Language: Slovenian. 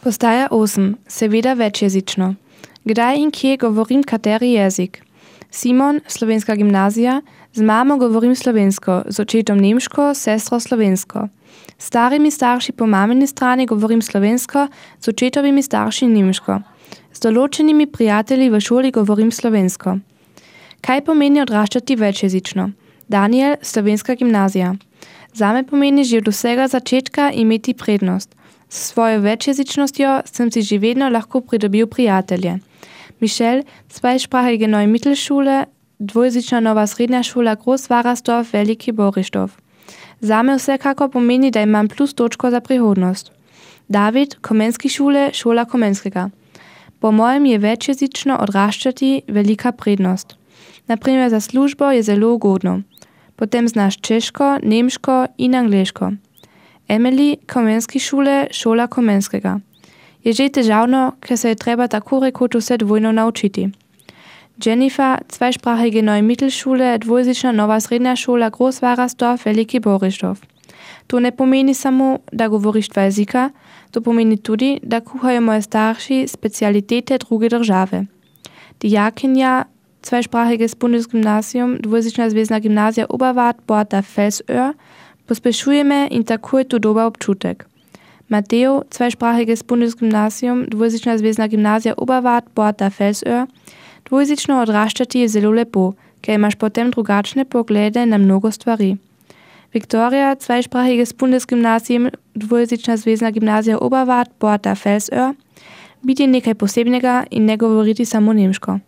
Postaja 8. Seveda večjezično. Kdaj in kje govorim kateri jezik? Simon, slovenska gimnazija, z mamo govorim slovensko, z očetom nemško, sestro slovensko. S starimi starši po mamini strani govorim slovensko, z očetovimi starši nemško. Z določenimi prijatelji v šoli govorim slovensko. Kaj pomeni odraščati večjezično? Daniel, slovenska gimnazija. Zame pomeni že od vsega začetka imeti prednost. S svojo večjezičnostjo sem si že vedno lahko pridobil prijatelje. Michel, zweisprachige Neue Mittelschule, dvojezična nova srednja šola Großwarasdorf, Veliki Borištov. Zame vsekako pomeni, da imam plus točko za prihodnost. David, Komenski šule, šola Komenskega. Po mojem je večjezično odraščati velika prednost. Naprimer za službo je zelo ugodno. Potem znaš češko, nemško in angleško. Emily, Komenski šule, šola Komenskega. Je že težavno, ker se je treba tako rekoč vse dvojno naučiti. Jennifer, zweisprachige Neue Mittelschule, dvojezična nova srednja šola Großwarasdorf, Veliki Borištov. To ne pomeni samo, da govoriš dva jezika, to pomeni tudi, da kuhajo moje starši specialitete druge države. Dijakinja, zweisprachiges Bundesgymnasium, dvojezična zvezna gimnazija Oberwart, Porta Felsöhr, pospešuje me in tako je to dober občutek. Mateo, zweisprachiges Bundesgymnasium, dvojezična zvezna gimnazija Oberwart, Porta Felsöhr, dvojezično odraščati je zelo lepo, ker imaš potem drugačne poglede na mnogo stvari. Viktoria, zweisprachiges Bundesgymnasium, dvojezična zvezna gimnazija Oberwart, Porta Felsöhr, biti nekaj posebnega in ne govoriti samo nemško.